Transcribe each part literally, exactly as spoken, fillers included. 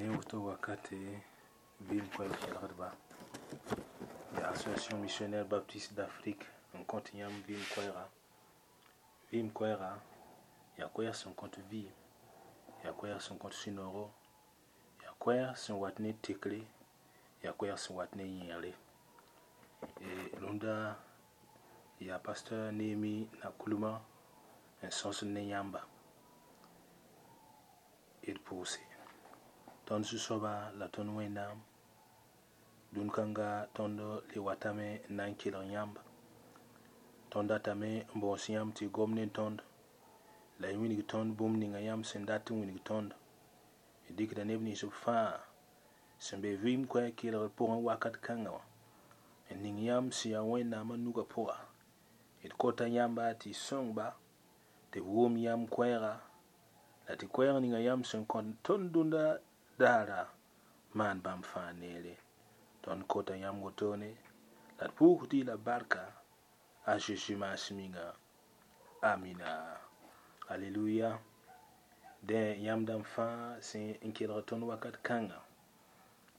Ne woto wakate vɩɩm koɛɛg kelgdba yaa Association Missionnaire Baptiste d'Afrique n kõt yãmb vɩɩm koɛɛga. Vɩɩm koɛɛga yaa koɛɛg sẽn kõt vɩɩm, yaa koɛɛg sẽn kõt sũ-noogo, yaa koɛɛg sẽn wat ne tekre, yaa koɛɛg sẽn wat ne yẽegre. Rũndã yaa pasteur Néhémie Nakoulma n sõsd ne yãmba. D pʋʋse. Tõnd Zu-soaba la tõnd Wẽnnaam dũn-kãnga tõnd le watame n na n kelg yãmb. Tõnd datame n bõos yãmb tɩ y gom ne tõnd la y wilg tõnd bũmb ninga yãmb sẽn dat n wilg tõnd. D dɩkda neb nins b fãa sẽn be vɩɩm koɛɛg kelgr pʋgẽ wakat kãngã wã n ning yãmb sẽn yaa Wẽnnaamã nugã pʋga. D kota yãmba tɩ y sõng-ba tɩ b wʋm yãmb koɛɛga la tɩ koɛɛg ninga yãmb sẽn kõt tõnd dũnda daara maan bãmb fãa neere. Tõnd kota yãmb wotone la d pʋʋsd-y la barka a Zeezi maasem yĩnga. Amina. Aleluya. Dẽ yãmb dãmb fãa sẽn n kelg tõnd wakat kãnga,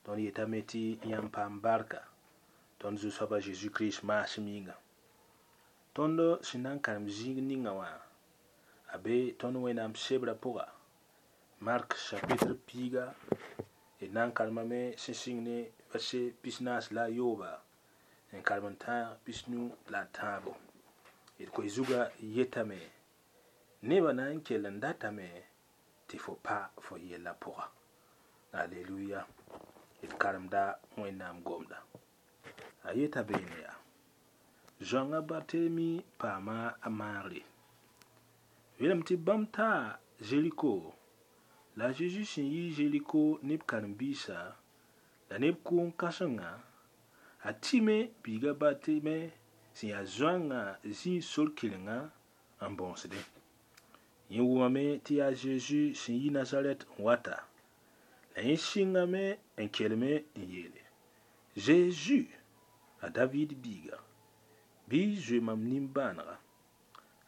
tõnd yetame tɩ yãmb paam barka tõnd Zu-soaba Zeezi Kirist maasem yĩnga. Tõnd sẽn na n karem zĩig ninga wã a be tõnd Wẽnnaam sebrã pʋga, Mark chapitre piiga, d na n karemame sẽn sɩng ne verset pis-naas la a yooba n karem n tãag pis-nu la a tãabo. D koe zugã yetame nebã na n kell n datame tɩ fo pa fo yellã pʋga. Aleluya. D karemda Wẽnnaam gomda. A yeta beene yaa zoãnga Bartelemi paama a maagre. Yeelame tɩ bãmb taa Zeriko la a Zeezi sẽn yi Zeriko ne b karen-biisã la neb kʋʋng kãsenga, a tɩme biiga Bartime sẽn yaa zoãngã zĩig sor kɩrenga n bõosdẽ. Yẽ wʋmame tɩ yaa Zeezi sẽn yi Nazarɛt n wata, la yẽ sɩngame n kelme n yeele: Zeezi, a David biiga, bɩ y zoe mam nimbãanega.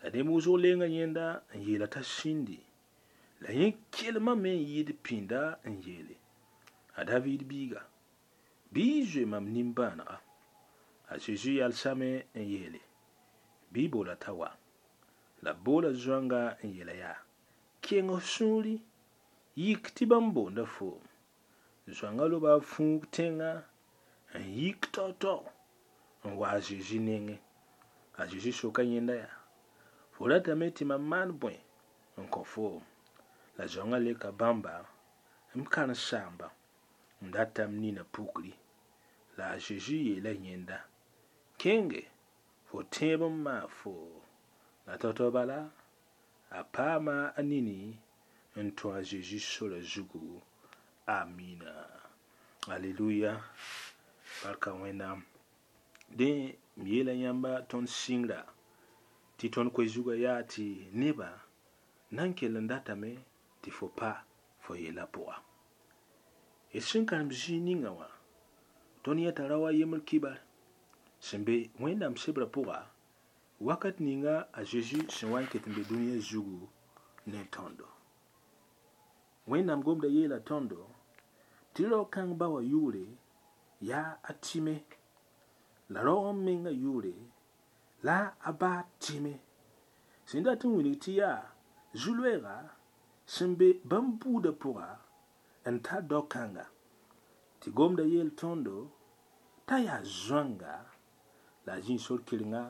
La neb wʋsg lenga yẽnda n yeela t'a sĩndi, la yẽ kelmame n yɩɩd pĩnda n yeele: a David biiga, bɩ y zoe mam nimbãanega. A Zeezi yalsame n yeele: bɩ y boola t'a wa. La b boola zoãnga n yeela yaa: keng f sũuri, yik tɩ bãmb boonda foom. Zoãnga loba a fuug tẽngã n yik tao-tao n wa a Zeezi nengẽ. A Zeezi soka yẽnda yaa: fo ratame tɩ mam maan bõe n kõ foom? La zoãngã leka bãmba: m karen-saamba, m datame nina pukri. La a Zeezi yeela yẽnda: kẽnge, fo tẽeb n maag foo. La tao-tao bala a paama a nini n tũ a Zeezi sora zugu. Amina. Aleluya. Barka Wẽnnaam. Dẽ m yeela yãmba tõnd sɩngra tɩ tõnd koe zugã yaa tɩ nebã na n kell n datame tɩ fo pa fo yellã pʋga. D sẽn karem zĩig ninga wã, tõnd yẽta rao a yembr kibar sẽn be Wẽnnaam sebrã pʋga wakat ninga a Zeezi sẽn wa n ket n be dũniyã zugu ne tõndo. Wẽnnaam gomda yeela tõndo tɩ rao-kãng ba wã yʋʋre yaa a Time, la rao n mengã yʋʋre la a ba Time sẽn dat n wilg tɩ yaa zu-loeega sẽn be bãmb buudã pʋga n tar dao-kãnga tɩ gomda yeel tõndo t'a yaa zoãnga la a zĩig sor kɩrenga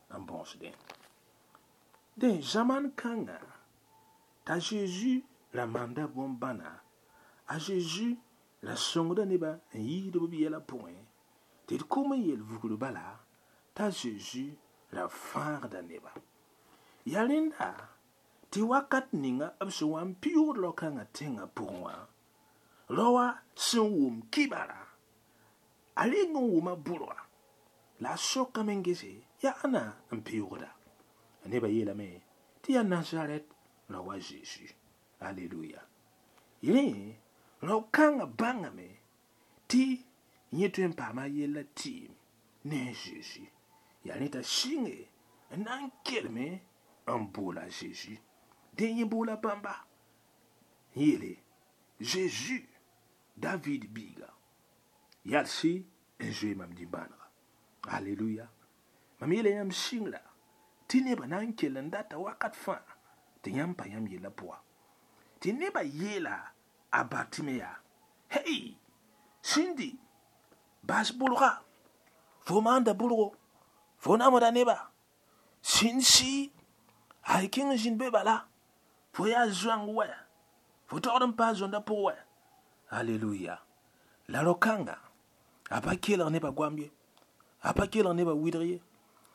n bõosdẽ. Dẽ zamaan kãnga t'a Zeezi ra maanda bõn-bãna, a Zeezi ra sõngda nebã n yiisd b yɛla pʋgẽ tɩ d kom n yel vugr bala t'a Zeezi ra fãagda neba. Yaa rẽnda tɩ wakat ninga b sẽn wa n pɩʋʋgd rao-kãngã tẽngã pʋgẽ wã, rao wã sẽn wʋm kibara, a reng n wʋma bʋrga la a sokame n gese yaa ãna n pɩʋʋgda. Nebã yeelame tɩ yaa Nazarɛt rao wa Zeezi. Aleluya. Rẽ rao-kãngã bãngame tɩ yẽ tõe n paama a yella tɩɩm ne a Zeezi. Yaa rẽ t'a sɩnge n na n kelme n boola a Zeezi. Dẽ yẽ boola bãmba n yeele: Zeezi, David biiga yalsi n zoe mam nimbãanega aleluya mam yeela yãmb sɩngra tɩ nebã na n kell n data wakat fãa tɩ yãmb pa yãmb yellã pʋga tɩ nebã yeela a Bartime yaa hey sĩndi bas bʋrga fo maanda bʋrgo fo namsda neba sĩnd sɩ ay kẽng n zĩnd be bala fo yaa zoãng wɛ fo togd n paas zõnda pʋg wɛ aleluya la rao-kãnga a pa kelg nebã goam ye a pa kelg nebã wɩdg ye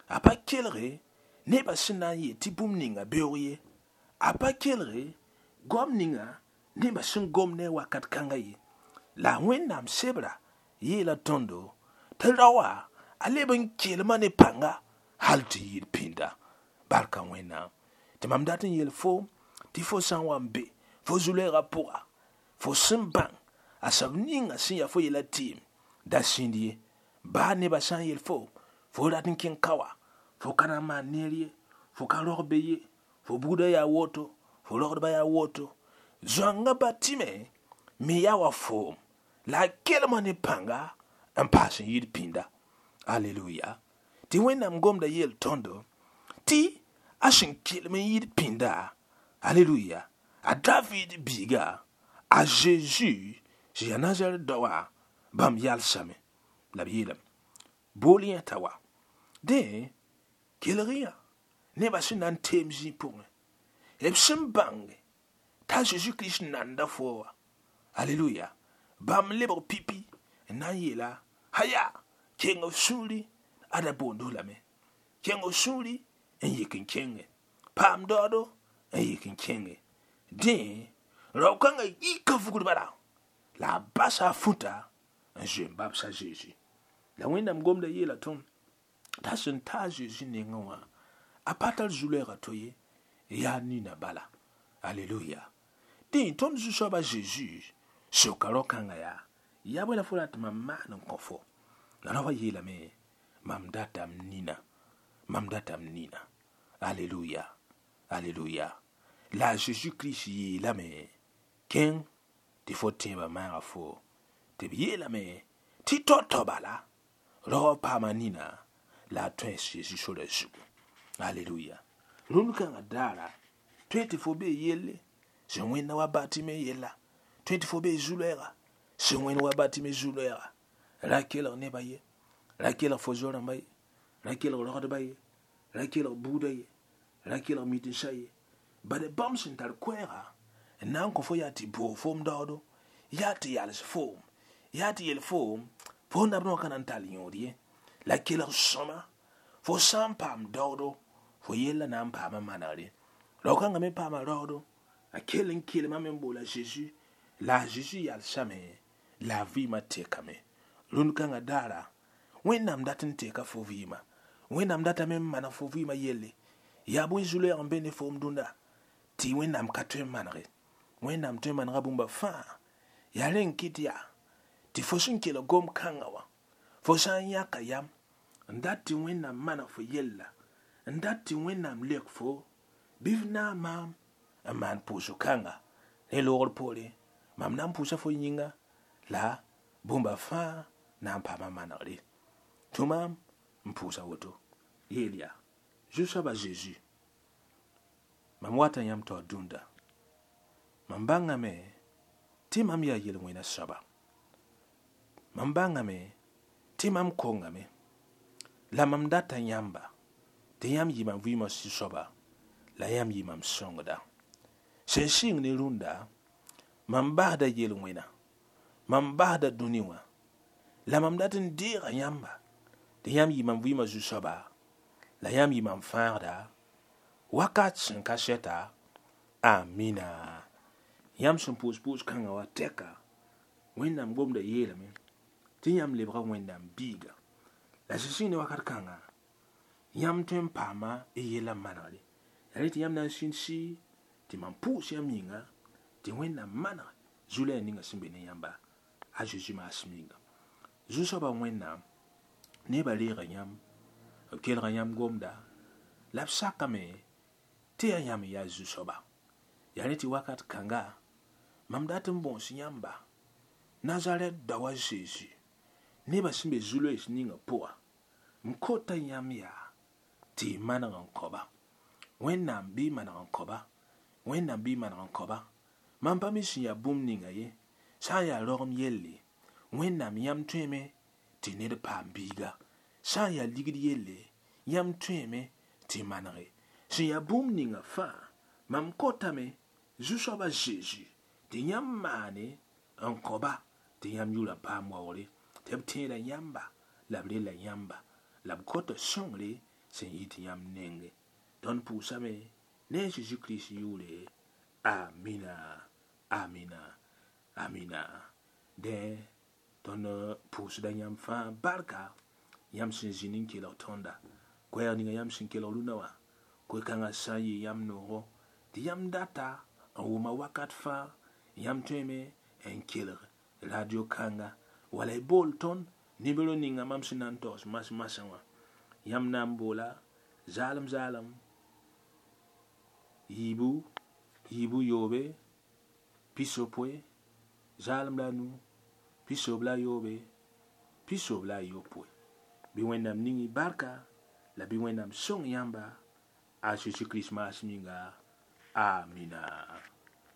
a pa kelge nebã sẽn na n yet tɩ bũmb ninga beoog ye a pa kelge goam ninga nebã sẽn gom ne a wakat kãnga ye la Wẽnnaam sebra yeela tõndo tɩ rao wã a leb n kelma ne pãnga hal tɩ yɩɩd pĩnda barka Wẽnnaam tɩ mam dat n yeel foom tɩ fo sã n wa n be fo zu-loeegã pʋga fo sẽn bãng a soab ninga sẽn yaa fo yɛla tɩɩm da sĩnd ye baa nebã sã n yel fo fo rat n kẽng ka wa fo ka na n maan neer ye fo ka rog be ye fo buudã yaa woto fo rogdbã yaa woto zoãngã Bartime me yaa wa foom la a kelma ne pãnga n paas n yɩɩd pĩnda aleluya tɩ Wẽnnaam gomda yeel tõndo tɩ a sẽn kelem n yɩɩd pĩnda aleluya a David biiga a Zeezi sẽn yaa Nazaret daoã bãmb yalsame la b yeelame bool yẽ t'a wa dẽ kelg yã nebã sẽn na n teem zĩig pʋgẽ b sẽn bãnge t'a Zeezi Kirist nanda fo wa aleluya bãmb lebg pipi n na n yeela haya keng f sũuri ada boond lame keng f sũuri n yik n kẽnge paam daoodo n yik n kẽnge dẽ rao-kãngã yika vugr bala la a basa a futa n zoe n babsa Zeezi la Wẽnnaam gomda yeela tõnd t'a sẽn ta a Zeezi nengẽ wã a pa tar zu-loeegã to ye yaa nina bala aleluya dẽ tõnd zu-soaba Zeezi soka rao-kãngã yaa yaa bõe la fo rat tɩ mam maan n kõ fo la rao wã yeelame mam datame nina mam datame nina aleluya aleluya la Zeezi Kirist yeelame kẽng tɩ fo tẽebã maaga fo tɩ b yeelame tɩ tao-tao bala rao wã paama nina la a tõe Zeezi sorã zugu aleluya rũnd kãngã daara tõe tɩ fo bee yelle sẽn wẽnda wa Bartime yella tõe tɩ fo bee zu-loeega sẽn wẽnd wa Bartime zu-loeega ra kelg nebã ye ra kelg fo zo-rãmba ye ra kelg rogdbã ye ra kelg buudã ye ra kelg mitensã ye bad bãmb sẽn tar koɛɛga n na n kõ fo yaa tɩ boog foom daoodo yaa tɩ yals foom yaa tɩ yel foom fo nabdẽ wã ka na n tall yõod ye la kelg sõma fo sã n paam daoodo fo yella na n paama manegre rao-kãngã me paama raoodo a kell n kelmame n boola Zeezi la a Zeezi yalsame la a vɩɩmã tekame rũnd kãngã daara Wẽnnaam dat n teka fo vɩɩma Wẽnnaam datame n maneg fo vɩɩmã yelle yaa bõe zu-loeeg n be ne foom dũnda tɩ Wẽnnaam ka tõe n manege Wẽnnaam tõe n manega bũmba fãa yaa rẽ n kɩt yaa tɩ fo sẽn kelg gom kãngã wã fo sã n yãka yam n dat tɩ Wẽnnaam maneg fo yella n dat tɩ Wẽnnaam lek fo bɩ f naag maam n maan pʋʋsg kãnga rẽ loogr poore mam na n pʋʋsa fo yĩnga la bũmba fãa na n paama manegre tũ maam n pʋʋsa woto yeel yaa Zu-soaba Zeezi mam wata yãmb taoor dũnda mam bãngame tɩ mam yaa yel-wẽna soaba mam bãngame tɩ mam kongame la mam data yãmba tɩ yãmb yɩ mam vɩɩmã sũ-soaba la yãmb yɩ mam sõngda sẽn sɩng ne rũndã mam basda yel-wẽna mam basda dũni wã la mam dat n deega yãmba tɩ yãmb yɩ mam vɩɩmã zu-soaba la yãmb yɩ mam fãagda wakat sẽn ka sɛta amina yãmb sẽn pʋʋs pʋʋs kãngã wa tɛka Wẽnnaam gomda yeelame tɩ yãmb lebga Wẽnnaam biiga la sẽn sɩng ne wakat kãnga yãmb tõe n paama y yellã manegre yaa rẽ tɩ yãmb na n sĩnd sɩ tɩ mam pʋʋs yãmb yĩnga tɩ Wẽnnaam maneg zu-loɛɛg ninga sẽn be ne yãmba a Zeezi maasem yĩnga zu-soabã Wẽnnaam nebã reega yãmb b kelga yãmb gomda la b sakame tɩ yaa yãmb n yaa zu-soaba yaa rẽ tɩ wakat kãnga mam dat n bõos yãmba Nazarɛt dao a Zeezi nebã sẽn be zu-loees ninga pʋga m kota yãmb yaa tɩ y maneg n kao-ba wẽnnaam bɩ y maneg n kao-ba wẽnnaam bɩ y maneg n kao-ba mam pa mi sẽn yaa bũmb ninga ye sã n yaa raogem yelle wẽnnaam yãmb tõeme tɩ ned paam biiga sã n yaa ligd yelle yãmb tõeme tɩ manege sẽn yaa bũmb ninga fãa mam kotame zu-soaba Zeezi tɩ yãmb maane n kao-ba tɩ yãmb yʋra paam waoogre tɩ b tẽeda yãmba la b rella yãmba la b kota sõngre sẽn yit yãmb nenge tõnd pʋʋsame ne a Zeezi Kirist yʋʋre amina amina amina dẽ tõnd pʋʋsda yãmb fãa barka yãmb sẽn zĩnd n kelg tõnda koɛɛg ninga yãmb sẽn kelg rũnã wã koe-kãngã sã n yɩ yãmb noogo tɩ yãmb data n wʋma wakat fãa yãmb tõeme n kelg radio kãnga wala y bool tõnd nimero ninga mam sẽn na n taoos mas-masã wã yãmb na n boola zaalem zaalem yiibu yiibu yoobe pisopoe zaalem la a nu pisoob la a yoobe pisoob la a yopoe bɩ wẽnnaam ning y barka la bɩ wẽnnaam sõng yãmba a Zeezi Kirist maas minga amina.